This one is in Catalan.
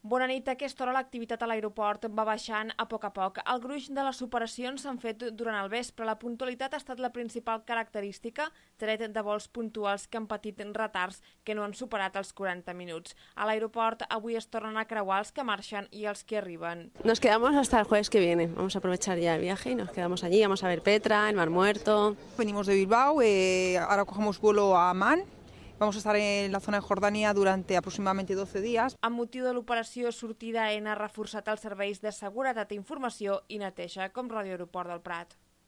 Bona nit. A aquesta hora l'activitat a l'aeroport va baixant a poc. El gruix de les operacions s'han fet durant el vespre. La puntualitat ha estat la principal característica, tret de vols puntuals que han patit retards que no han superat els 40 minuts. A l'aeroport avui es tornen a creuar els que marxen i els que arriben. Nos quedamos hasta el jueves que viene. Vamos a aprovechar ya el viaje y nos quedamos allí. Vamos a ver Petra, el Mar Muerto. Venimos de Bilbao, ahora cogemos vuelo a Amán. Vamos a estar en la zona de Jordania durante aproximadamente 12 días. Amb motiu de l'operació Sortida N ha reforçat els serveis de seguretat, informació i neteja, com Ràdio Aeroport del Prat.